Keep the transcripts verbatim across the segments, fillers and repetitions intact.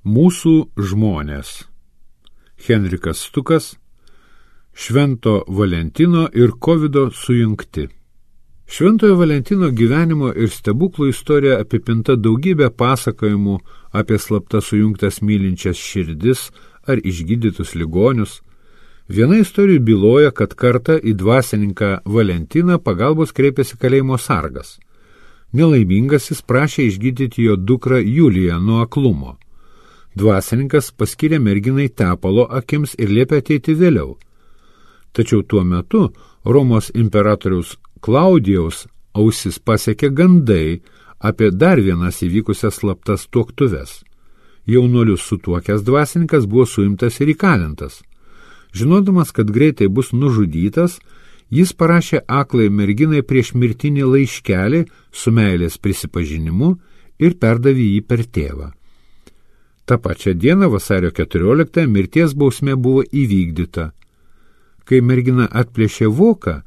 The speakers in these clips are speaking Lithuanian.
Mūsų žmonės. Henrikas Stukas, Švento Valentino ir Kovido sujungti. Šventojo Valentino gyvenimo ir stebuklų istorija apipinta daugybė pasakojimų apie slapta sujungtas mylinčias širdis ar išgydytus ligonius. Viena istorija byloja, kad kartą į dvasininką Valentiną pagalbos kreipėsi kalėjimo sargas. Nelaimingasis prašė išgydyti jo dukrą Juliją nuo aklumo. Dvasininkas paskyrė merginai tepalo akims ir liepė ateiti vėliau. Tačiau tuo metu Romos imperatoriaus Klaudijaus ausis pasiekė gandai apie dar vienas įvykusias slaptas tuoktuves. Jaunuolius sutuokęs dvasininkas buvo suimtas ir įkalintas. Žinodamas, kad greitai bus nužudytas, jis parašė aklai merginai prieš mirtinį laiškelį su meilės prisipažinimu ir perdavė jį per tėvą. Ta pačia diena, vasario keturioliktąją, mirties bausmė buvo įvykdyta. Kai mergina atplėšė voką,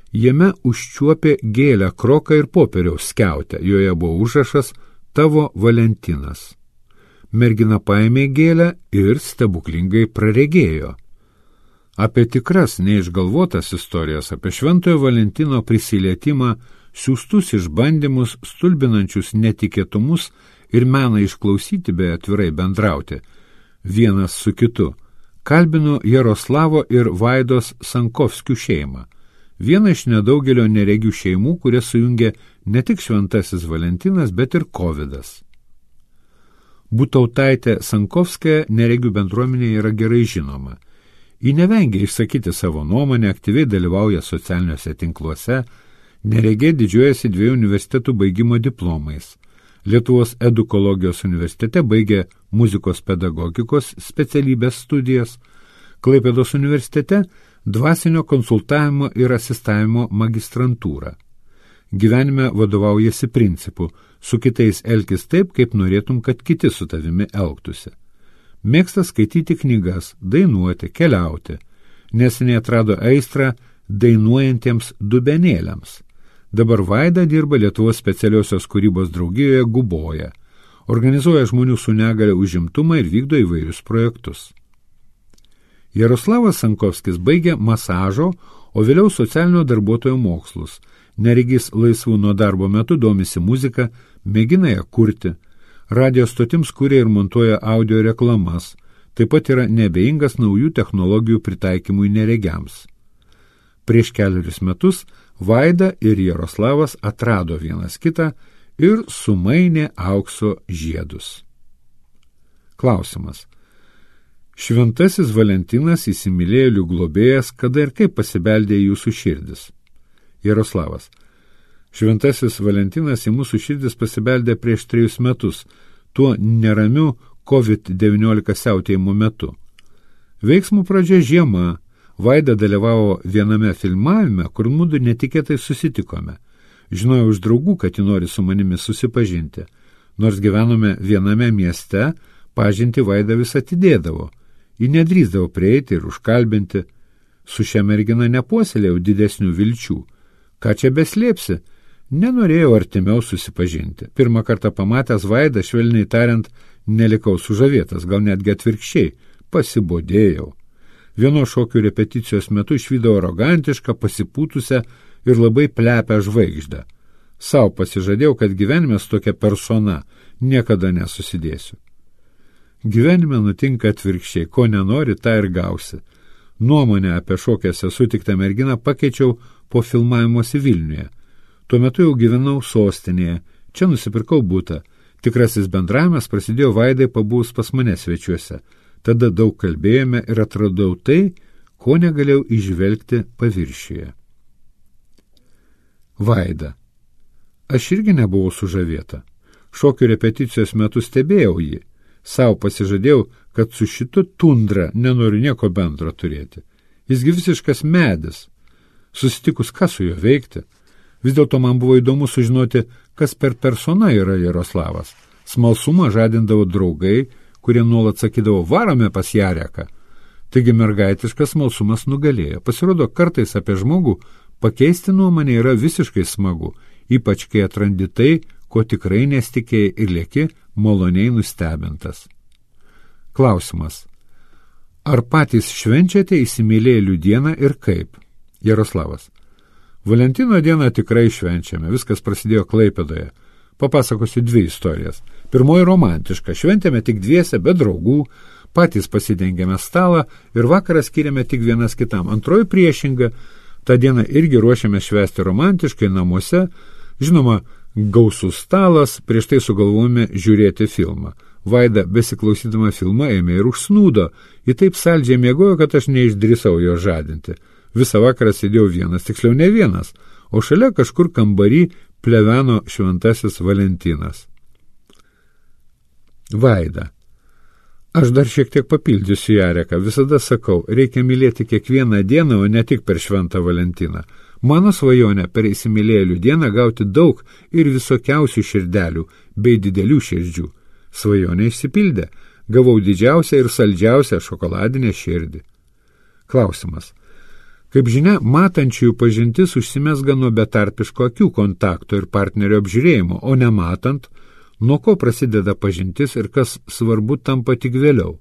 jame užčiuopė gėlę, kroką ir popieriaus skiautę. Joje buvo užrašas "Tavo Valentinas". Mergina paėmė gėlę ir stebuklingai praregėjo. Apie tikras, neišgalvotas istorijas, apie Šventojo Valentino prisilietimą, siųstus išbandymus, stulbinančius netikėtumus ir meną išklausyti bei atvirai bendrauti vienas su kitu, kalbino Jaroslavo ir Vaidos Sankovskių šeimą, vieną iš nedaugelio neregių šeimų, kurie sujungė ne tik Šventasis Valentinas, bet ir Kovidas. Butautaitė Sankovskė neregių bendruomenė yra gerai žinoma. Ji nevengia išsakyti savo nuomonę, aktyviai dalyvauja socialiniuose tinkluose, neregė didžiuojasi dviejų universitetų baigimo diplomais. Lietuvos edukologijos universitete baigė muzikos pedagogikos specialybės studijas, Klaipėdos universitete dvasinio konsultavimo ir asistavimo magistrantūrą. Gyvenime vadovaujasi principu: su kitais elkis taip, kaip norėtum, kad kiti su tavimi elgtųsi. Mėgsta skaityti knygas, dainuoti, keliauti. Neseniai atrado aistrą dainuojantiems dubenėliams. Dabar Vaida dirba Lietuvos specialiosios kūrybos draugijoje Guboja. Organizuoja žmonių su negalia užimtumą ir vykdo įvairius projektus. Jaroslavas Sankovskis baigė masažo, o vėliau socialinio darbuotojo mokslus. Neregys laisvų nuo darbo metu domisi muzika, mėgina ją kurti. Radio stotims kuria ir montuoja audio reklamas. Taip pat yra neabejingas naujų technologijų pritaikymui neregiams. Prieš keliarius metus Vaida ir Jaroslavas atrado vienas kitą ir sumainė aukso žiedus. Klausimas. Šventasis Valentinas įsimylėjėlių globėjas, kada ir kaip pasibeldė į jūsų širdis? Jaroslavas. Šventasis Valentinas į mūsų širdis pasibeldė prieš trejus metus, tuo neramiu kovid devyniolika siautėjimo metu. Veiksmų pradžia žiema. Vaida dalyvavo viename filmavime, kur mudu netikėtai susitikome. Žinojau iš draugų, kad ji nori su manimi susipažinti. Nors gyvenome viename mieste, pažinti Vaida vis atidėdavo. Ji nedrįsdavo prieiti ir užkalbinti. Su šia mergina nepuoselėjau didesnių vilčių. Ką čia beslėpsi? Nenorėjau artimiau susipažinti. Pirmą kartą pamatęs Vaidą, švelniai tariant, nelikau sužavėtas, gal netgi atvirkščiai, pasibodėjau. Vieno šokių repeticijos metu išvydau arogantišką, pasipūtusią ir labai plepę žvaigždę. Sau pasižadėjau, kad gyvenime su tokia persona niekada nesusidėsiu. Gyvenime nutinka atvirkščiai, ko nenori, tą ir gausi. Nuomonę apie šokėse sutiktą merginą pakeičiau po filmavimuose Vilniuje. Tuo metu jau gyvenau sostinėje, čia nusipirkau butą. Tikrasis bendravimas prasidėjo Vaidai pabuvus pas mane svečiuose. Tada daug kalbėjome ir atradau tai, ko negalėjau įžvelgti paviršiuje. Vaida. Aš irgi nebuvau sužavėta. Šokių repeticijos metu stebėjau jį. Sau pasižadėjau, kad su šitu tundra nenoriu nieko bendro turėti. Jisgi visiškas medis. Susitikus, ką su juo veikti? Vis dėlto man buvo įdomu sužinoti, kas per persona yra Jaroslavas. Smalsumą žadindavo draugai, kurie nuolat sakydavo, varome pas Jareką. Taigi mergaitiškas smalsumas nugalėjo. Pasirodo, kartais apie žmogų pakeisti nuomonę yra visiškai smagu, ypač kai atrandi tai, ko tikrai nesitikėjai ir lieki maloniai nustebintas. Klausimas. Ar patys švenčiate įsimylėjėlių dieną ir kaip? Jaroslavas. Valentino dieną tikrai švenčiame. Viskas prasidėjo Klaipėdoje. Papasakosiu dvi istorijas. Pirmoji romantiška. Šventėme tik dviese, be draugų. Patys pasidengėme stalą ir vakarą skiriame tik vienas kitam. Antroji priešinga. Ta diena irgi ruošiame švęsti romantiškai namuose. Žinoma, gausus stalas, prieš tai sugalvojome žiūrėti filmą. Vaida, besiklausydama filmą, ėmė ir užsnūdo. Ji taip saldžiai miegojo, kad aš neišdrįsau jo žadinti. Visą vakarą sėdėjau vienas, tiksliau ne vienas, o šalia kažkur kambarį pleveno šventasis Valentinas. Vaida. Aš dar šiek tiek papildysiu Jareką. Visada sakau, reikia mylėti kiekvieną dieną, o ne tik per šventą Valentiną. Mano svajonė per įsimylėjėlių dieną gauti daug ir visokiausių širdelių bei didelių širdžių. Svajonė išsipildė. Gavau didžiausią ir saldžiausią šokoladinę širdį. Klausimas. Kaip žinia, matančiųjų pažintis užsimesga nuo betarpiško akių kontakto ir partnerio apžiūrėjimo, o nematant, nuo ko prasideda pažintis ir kas svarbu tampa tik vėliau.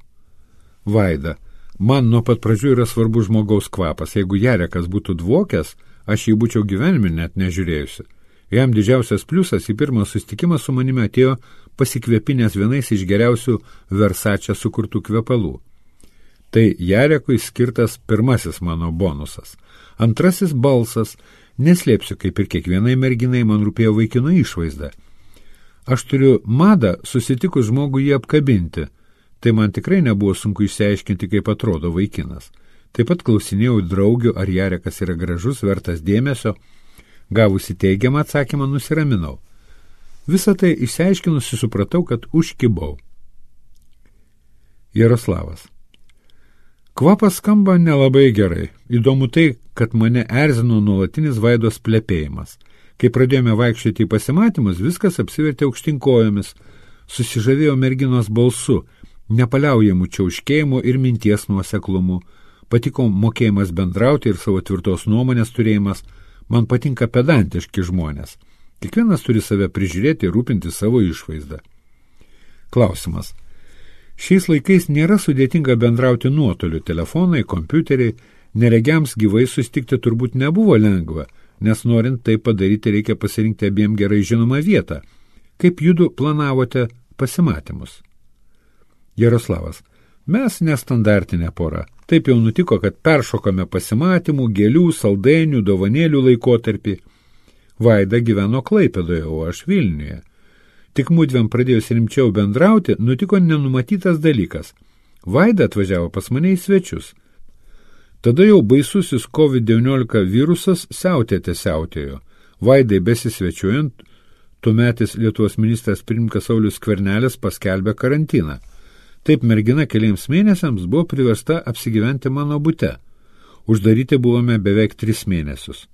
Vaida. Man nuo pat pradžių yra svarbu žmogaus kvapas. Jeigu Jarekas būtų dvokęs, aš jį būčiau gyvenime net nežiūrėjusi. Jam didžiausias pliusas į pirmą susitikimą su manimi atėjo pasikvėpinęs vienais iš geriausių Versace sukurtų kvepalų. Tai Jarekui skirtas pirmasis mano bonusas. Antrasis balsas. Neslėpsiu, kaip ir kiekvienai merginai man rūpėjo vaikino išvaizda. Aš turiu madą susitikus žmogų jį apkabinti. Tai man tikrai nebuvo sunku išsiaiškinti, kaip atrodo vaikinas. Taip pat klausinėjau draugių, ar Jarekas yra gražus, vertas dėmesio. Gavusi teigiamą atsakymą, nusiraminau. Visą tai išsiaiškinusi supratau, kad užkibau. Jaroslavas. Kvapas skamba nelabai gerai. Įdomu tai, kad mane erzino nuolatinis Vaidos plepėjimas. Kai pradėjome vaikščioti į pasimatymus, viskas apsivertė aukštinkojomis. Susižavėjo merginos balsu, nepaliaujamų čiauškėjimų ir minties nuoseklumu. Patiko mokėjimas bendrauti ir savo tvirtos nuomonės turėjimas. Man patinka pedantiški žmonės. Kiekvienas turi save prižiūrėti ir rūpinti savo išvaizdą. Klausimas. Šiais laikais nėra sudėtinga bendrauti nuotoliu. Telefonai, kompiuteriai, neregiams gyvai susitikti turbūt nebuvo lengva, nes norint tai padaryti reikia pasirinkti abiem gerai žinomą vietą. Kaip judu planavote pasimatymus? Jaroslavas. Mes nestandartinė pora. Taip jau nutiko, kad peršokame pasimatymų, gėlių, saldainių, dovanėlių laikotarpį. Vaida gyveno Klaipėdoje, o aš Vilniuje. Tik mudviem pradėjus rimčiau bendrauti, nutiko nenumatytas dalykas. Vaida atvažiavo pas mane į svečius. Tada jau baisusis kovid devyniolika virusas siautėte siautėjo. Vaidai besisvečiuojant, tuometis Lietuvos ministras pirmininkas Saulius Skvernelis paskelbė karantiną. Taip mergina keliems mėnesiams buvo priversta apsigyventi mano bute. Uždaryti buvome beveik tris mėnesius.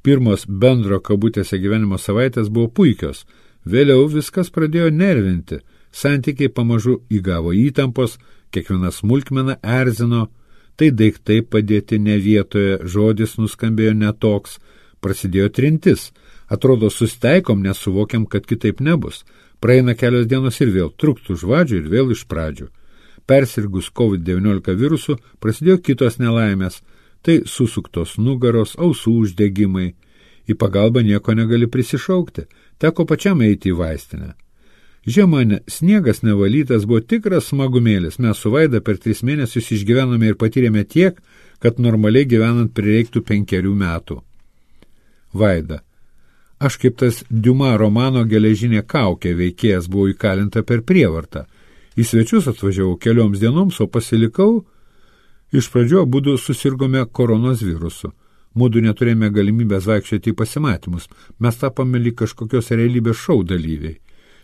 Pirmos bendro kabutėse gyvenimo savaitės buvo puikios. Vėliau viskas pradėjo nervinti. Santykiai pamažu įgavo įtampos, kiekviena smulkmena erzino. Tai daiktai padėti ne vietoje, žodis nuskambėjo netoks. Prasidėjo trintis. Atrodo, susteikom, nes suvokiam, kad kitaip nebus. Praeina kelios dienos ir vėl truktų žvadžių ir vėl iš pradžių. Persirgus kovid devyniolika virusu prasidėjo kitos nelaimės. Tai susuktos nugaros, ausų uždegimai. Į pagalbą nieko negali prisišaukti. Teko pačiam eiti į vaistinę. Žiemą sniegas nevalytas buvo tikras smagumėlis. Mes su Vaida per tris mėnesius išgyvenome ir patyrėme tiek, kad normaliai gyvenant prireiktų penkerių metų. Vaida. Aš kaip tas Diuma romano Geležinė kaukė veikėjas buvau įkalinta per prievartą. Į svečius atvažiavau kelioms dienoms, o pasilikau. Iš pradžių abudu susirgome koronos virusu. Mudu neturėjome galimybės vaikščioti į pasimatymus. Mes tapome lyg kažkokios realybės šou dalyviai.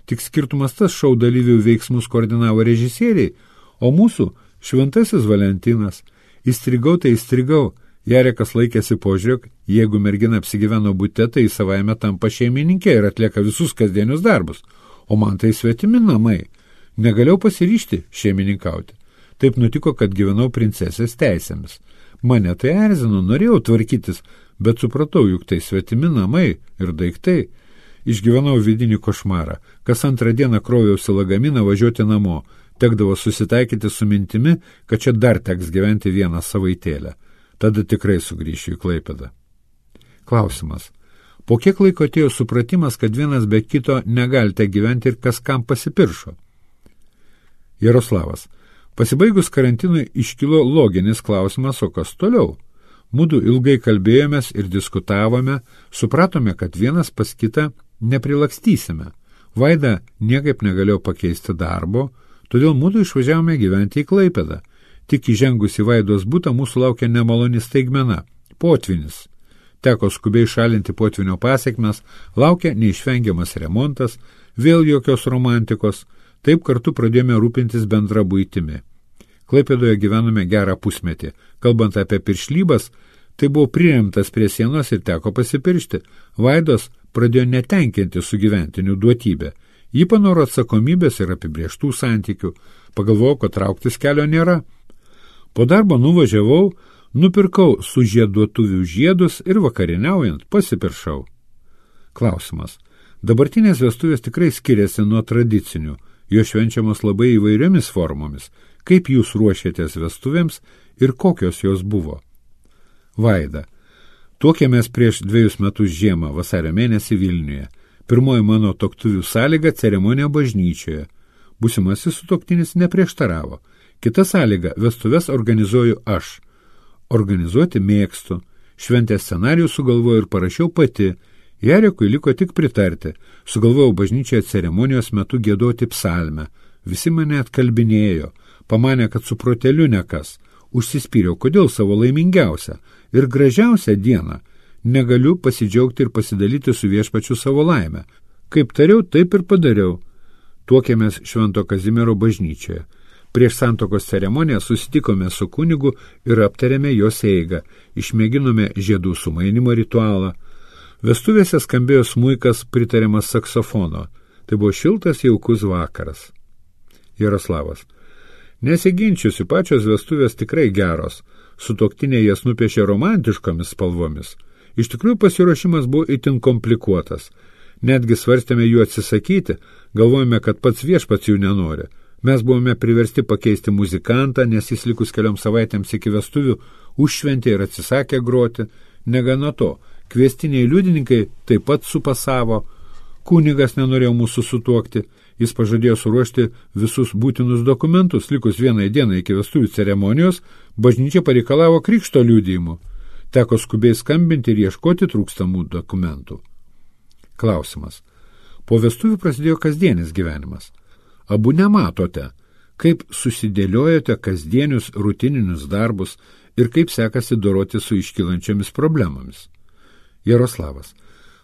Tik skirtumas tas, šou dalyvių veiksmus koordinavo režisieriai, o mūsų šventasis Valentinas. Įstrigau, tai įstrigau. Jarekas laikėsi požiūrėk, jeigu mergina apsigyveno bute, tai savaime tampa šeimininkė ir atlieka visus kasdienius darbus. O man tai svetimi namai. Negalėjau pasiryžti šeimininkauti. Taip nutiko, kad gyvenau princesės teisėmis. Mane tai erzino, norėjau tvarkytis, bet supratau, juk tai svetimi namai ir daiktai. Išgyvenau vidinį košmarą. Kas antrą dieną kroviausi lagaminą važiuoti namo. Tekdavo susitaikyti su mintimi, kad čia dar teks gyventi vieną savaitėlę. Tada tikrai sugrįšiu į Klaipėdą. Klausimas. Po kiek laiko atėjo supratimas, kad vienas be kito negalite gyventi ir kas kam pasipiršo? Jaroslavas. Pasibaigus karantinui iškilo loginis klausimas, o kas toliau? Mudu ilgai kalbėjomės ir diskutavome, supratome, kad vienas pas kitą neprilakstysime. Vaida niekaip negalėjo pakeisti darbo, todėl mudu išvažiavome gyventi į Klaipėdą. Tik įžengus į Vaidos butą mūsų laukia nemaloni staigmena – potvynis. Teko skubiai šalinti potvinio pasiekmes, laukia neišvengiamas remontas, vėl jokios romantikos, taip kartu pradėjome rūpintis bendra buitimi. Klaipėdoje gyvenome gerą pusmetį. Kalbant apie piršlybas, tai buvo priremtas prie sienos ir teko pasipiršti. Vaidos pradėjo netenkinti sugyventinių duotybę. Ji panoro atsakomybės ir apibrieštų santykių. Pagalvojau, kad trauktis kelio nėra. Po darbo nuvažiavau, nupirkau sužieduotuvių žiedus ir vakarieniaujant pasipiršau. Klausimas. Dabartinės vestuvės tikrai skiriasi nuo tradicinių. Jos švenčiamos labai įvairiomis formomis. Kaip jūs ruošėtės vestuvėms ir kokios jos buvo? Vaida. Tuokėmės prieš dviejus metus žiemą, vasario mėnesį Vilniuje. Pirmoji mano tuoktuvių sąlyga – ceremonija bažnyčioje. Būsimasis sutuoktinis neprieštaravo. Kita sąlyga – vestuves organizuoju aš. Organizuoti mėgstu. Šventės scenarijų sugalvojau ir parašiau pati. Jarikui liko tik pritarti. Sugalvojau bažnyčioje ceremonijos metu giedoti psalmę. Visi mane atkalbinėjo. Pamanė, kad su proteliu nekas. Užsispyriau, kodėl savo laimingiausią ir gražiausią dieną negaliu pasidžiaugti ir pasidalyti su viešpačiu savo laimę. Kaip tariau, taip ir padariau. Tuokėmės Švento Kazimiero bažnyčioje. Prieš santuokos ceremoniją susitikome su kunigu ir aptarėme jos eigą. Išmėginome žiedų sumainimo ritualą. Vestuvėse skambėjo smuikas pritariamas saksofono. Tai buvo šiltas jaukus vakaras. Jaroslavas. Nesiginčiusi, pačios vestuvės tikrai geros. Sutuoktiniai jas nupiešė romantiškomis spalvomis. Iš tikrųjų pasiruošimas buvo itin komplikuotas. Netgi svarstėme jų atsisakyti, galvojame, kad pats viešpats jų nenori. Mes buvome priversti pakeisti muzikantą, nes jis likus kelioms savaitėms iki vestuvių užšventė ir atsisakė groti. Negana to, kviestiniai liudininkai taip pat supasavo. Kunigas nenorėjo mūsų sutuokti. Jis pažadėjo suruošti visus būtinus dokumentus. Likus vienai dienai iki vestuvių ceremonijos, bažnyčia pareikalavo krikšto liudijimų. Teko skubiai skambinti ir ieškoti trūkstamų dokumentų. Klausimas. Po vestuvių prasidėjo kasdienis gyvenimas. Abu nematote, kaip susidėliojate kasdienius rutininius darbus ir kaip sekasi doroti su iškylančiomis problemomis. Jaroslavas.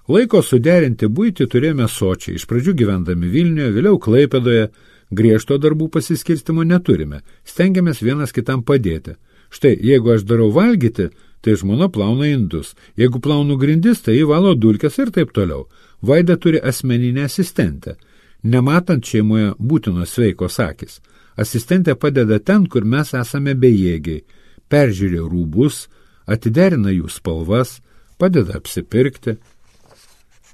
Laiko suderinti buitį turėjome sočiai, iš pradžių gyvendami Vilniuje, vėliau Klaipėdoje, griežto darbų pasiskirstimo neturime, stengiamės vienas kitam padėti. Štai, jeigu aš darau valgyti, tai žmona plauna indus, jeigu plaunu grindis, tai įvalo dulkes ir taip toliau. Vaida turi asmeninę asistentę. Nematant šeimoje būtinos sveikos akys. Asistentė padeda ten, kur mes esame bejėgiai, peržiūrė rūbus, atiderina jų spalvas, padeda apsipirkti.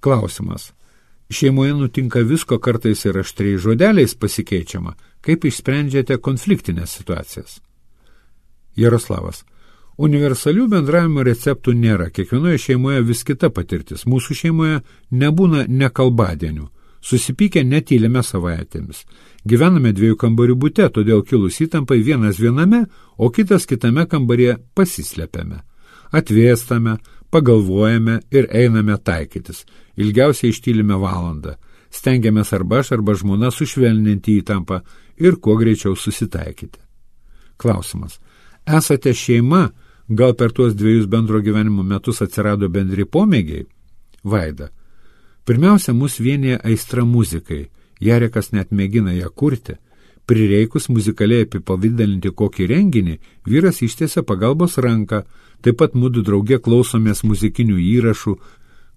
Klausimas. Šeimoje nutinka visko, kartais ir aštriais žodeliais pasikeičiama. Kaip išsprendžiate konfliktinės situacijas? Jaroslavas. Universalių bendravimo receptų nėra. Kiekvienoje šeimoje vis kita patirtis. Mūsų šeimoje nebūna nekalbadienių. Susipykę netylime savaitėmis. Gyvename dviejų kambarių bute, todėl kilus įtampai vienas viename, o kitas kitame kambaryje pasislepiame. Atvėstame, pagalvojame ir einame taikytis. Ilgiausiai ištylime valandą. Stengiamės arba aš, arba žmona sušvelninti įtampą ir kuo greičiau susitaikyti. Klausimas. Esate šeima, gal per tuos dviejus bendro gyvenimo metus atsirado bendri pomėgiai? Vaida. Pirmiausia, mus vienyje aistra muzikai. Jarekas net mėgina ją kurti. Prireikus muzikaliai apipavydalinti kokį renginį, vyras ištiesia pagalbos ranką, taip pat mudu drauge klausomės muzikinių įrašų,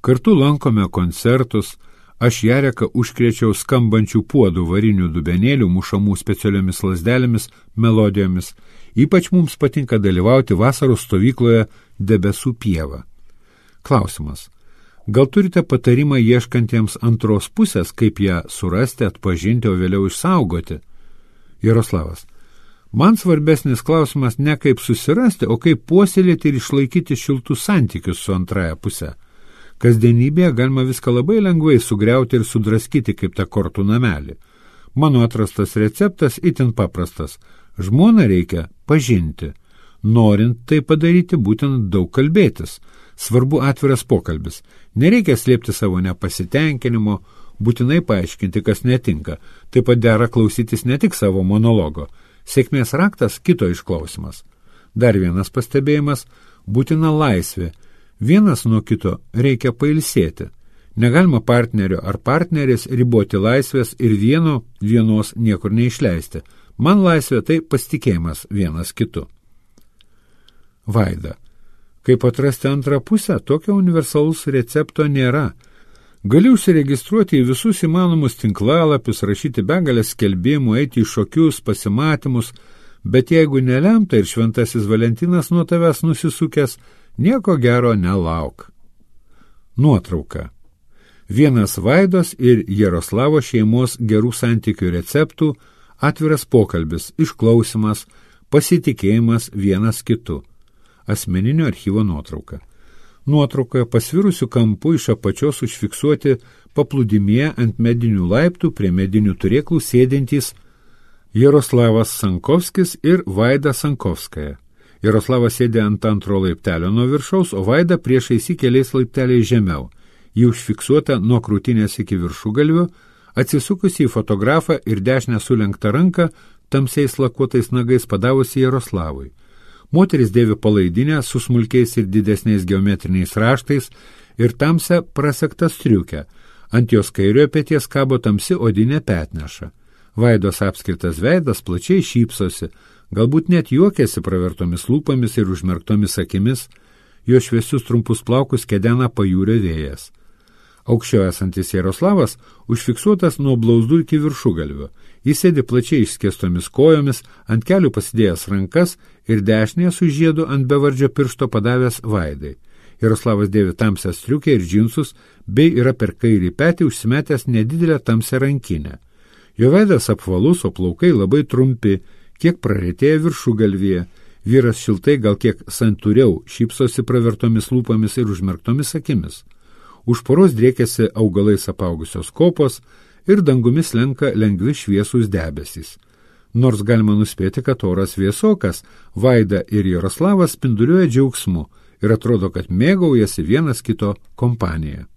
kartu lankome koncertus, aš Jareką užkrėčiau skambančių puodų varinių dubenėlių, mušamų specialiomis lazdelėmis, melodijomis. Ypač mums patinka dalyvauti vasaros stovykloje Debesų pieva. Klausimas. Gal turite patarimą ieškantiems antros pusės, kaip ją surasti, atpažinti, o vėliau išsaugoti? Jaroslavas. Man svarbesnis klausimas ne kaip susirasti, o kaip puoselėti ir išlaikyti šiltus santykius su antraja puse. Kasdienybėje galima viską labai lengvai sugriauti ir sudraskyti kaip tą kortų namelį. Mano atrastas receptas itin paprastas. Žmoną reikia pažinti. Norint tai padaryti, būtent daug kalbėtis. Svarbu atviras pokalbis. Nereikia slėpti savo nepasitenkinimo, būtinai paaiškinti, kas netinka. Taip pat dera klausytis ne tik savo monologo. Sėkmės raktas kito išklausimas. Dar vienas pastebėjimas – būtina laisvė. Vienas nuo kito reikia pailsėti. Negalima partnerio ar partnerės riboti laisvės ir vieno vienos niekur neišleisti. Man laisvė tai pasitikėjimas vienas kitu. Vaida. Kaip atrasti antrą pusę, tokio universalus recepto nėra. Gali užsiregistruoti į visus įmanomus tinklalapius, rašyti begalės skelbimų, eiti į šokius, pasimatymus, bet jeigu nelemta ir šventasis Valentinas nuo tavęs nusisukęs, nieko gero nelauk. Nuotrauka. Vienas Vaidos ir Jaroslavo šeimos gerų santykių receptų, atviras pokalbis, išklausimas, pasitikėjimas vienas kitu. Asmeninio archyvo nuotrauka. Nuotraukoje pasvirusių kampų iš apačios užfiksuoti paplūdimyje ant medinių laiptų prie medinių turėklų sėdintys Jaroslavas Sankovskis ir Vaida Sankovskaja. Jaroslavas sėdė ant antro laiptelio nuo viršaus, o Vaida priešais į keliais laipteliais žemiau. Ji užfiksuota nuo krūtinės iki viršugalvių, atsisukusi į fotografą ir dešinę sulenktą ranką tamsiais lakuotais nagais padavusi Jaroslavui. Moteris dėvi palaidinę su smulkiais ir didesniais geometriniais raštais ir tamsią prasektą striukę. Ant jos kairiojo peties kabo tamsi odinė petneša. Vaidos apskritas veidas plačiai šypsosi, galbūt net juokiasi pravertomis lūpomis ir užmerktomis akimis, jo šviesius trumpus plaukus kedena pajūrio vėjas. Aukščiau esantis Jaroslavas užfiksuotas nuo blauzdų iki viršugalvio. Jis sėdi plačiai išskėstomis kojomis, ant kelių pasidėjęs rankas ir dešinėje su žiedu ant bevardžio piršto padavęs Vaidai. Jaroslavas dėvi tamsią striukę ir džinsus, bei yra per kairį petį užsimetęs nedidelę tamsią rankinę. Jo veidas apvalus, o plaukai labai trumpi, kiek praretėję viršugalvyje. Vyras šiltai, gal kiek santūriau, šypsosi pravertomis lūpomis ir užmerktomis akimis. Už poros driekėsi augalais apaugusios kopos ir dangumis lenka lengvi šviesūs debesys. Nors galima nuspėti, kad oras vėsokas, Vaida ir Jaroslavas spinduliuoja džiaugsmu ir atrodo, kad mėgaujasi vienas kito kompanija.